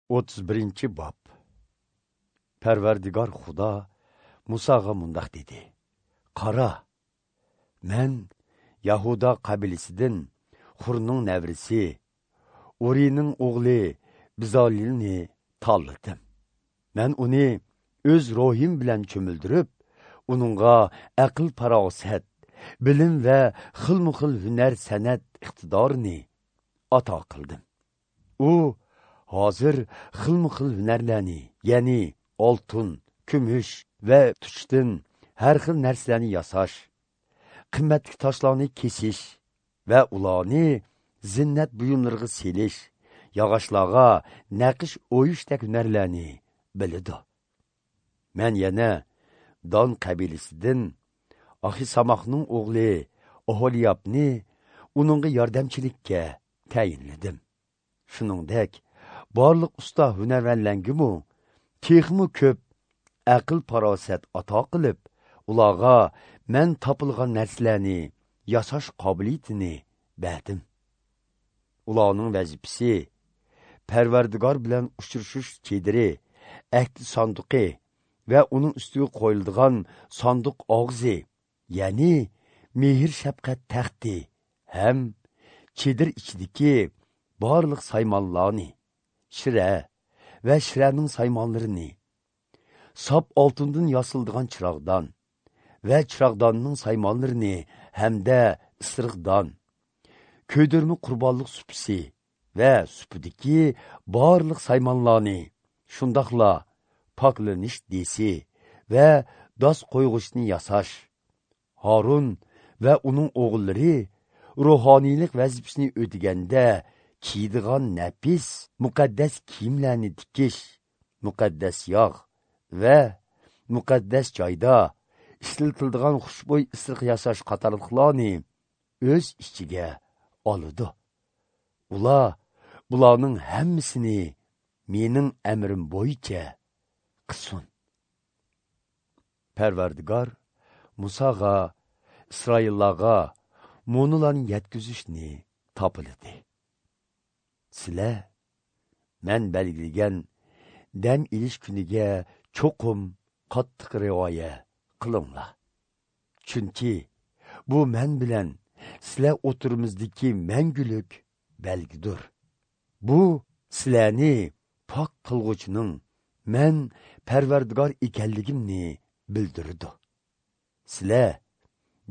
31 bob. Parvardigor Xudo Musoga mundoq dedi: Qara, men Yahuda qabilasidan Xurning navrisi, Urining o'g'li Bizolilni tanladim. Men uni o'z ruhim bilan cho'mildirib, uningga aql farosat, bilim va xilma-xil hunar san'at iqtidorini ato qildim. U hozir xilma-xil hunarlarni, ya'ni oltin, kumush va tuchdan har xil narsalarni yasash, qimmatli toshlarni kesish va ularni zinnat buyumlariga selish, yog'ochlarga naqsh o'yishdek hunarlarni biladi. Men yana Don qabilasidan Ahisamoqning o'g'li Oholiyobni uningga yordamchilikka tayinladim. Shuningdek, barliq usta hunarmandlarga texmi ko'p aql farosat ato qilib, ularga men topilgan narsalarni yasash qobiliyatini berdim. Ularning vazifasi Parvardigor bilan uchrashish chediri, ahd sanduqi va uning ustiga qo'yiladigan sanduq og'zi, ya'ni mehr shafqat taxti ham chedir ichidagi barliq saymonlarni, shira va shiraning saymonlarini, sop oltindan yasaldigan chiroqdan va chiroqdonning saymonlarini hamda isiriqdan, ko'ydirma qurbonlik supisi va supidagi barliq saymonlarni, shundoqla poklanish desi va dos qo'yg'uchni yasash. Harun va uning o'g'illari ruhoniylik vazifasini o'taganda kiydigan nafis muqaddas kiyimlarni tikish, muqaddas yog' va muqaddas joyda ishlatiladigan xushbo'y isiriq yasash qatorliqlarni o'z ichiga oladi. Ular bularning hammasini mening amrim bo'yicha qilsin. Parvardigor Musoga, Isroillarga monularni yetkazishni topildi. Sizlar men belgilagan dam ilish kuniga cho'qim qattiq rioya qilinglar. Chunki bu men bilan sizlar o'tirimizdagi mangulik belgidir. Bu sizlarni pok qilg'uchining men Parvardigor ekanligimni bildirdi. Sizlar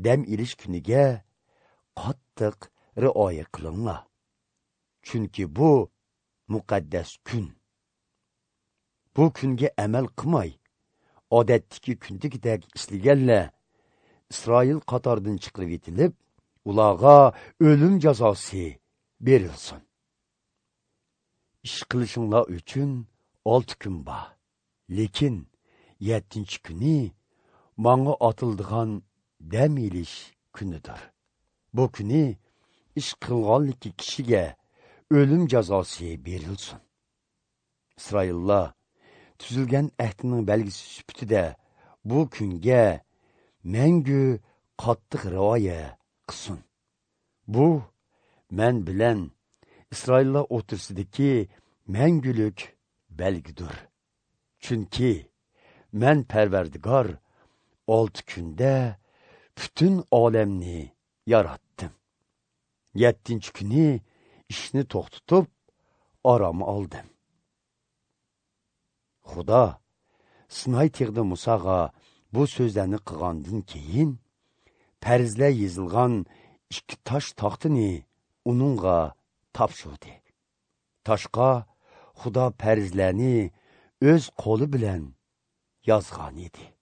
dam ilish kuniga qattiq rioya qilinglar. Chunki bu muqaddas kun. Bu kunga amal qilmay, odatdagi kundagidek ishlaganlar Isroil qatoridan chiqarib etilib, ularga o'lim jazosi berilsin. Ish qilishinglar uchun 6 kun bor. Lekin 7-kuni manga atildigan dam ilish kunidir. Bu kuni ish qilganligi kishiga o'lim jazosi berilsin. Isroillar tuzilgan ahdining belgisi sifatida bu kunga mangu qattiq rioya qilsin. Bu men bilan Isroillar o'rtasidagi mangulik belgidir. Chunki men Parvardigor 6 kunda butun olamni yaratdim. 7-kuni ishni to'xtatib, orom oldim. Xudo Sinay tog'ida Musoga bu so'zlarni qilgandan keyin farzlar yozilgan 2 tosh taxtini uningga topshirdi. Toshqa Xudo farzlarni o'z qo'li bilan yozgan edi.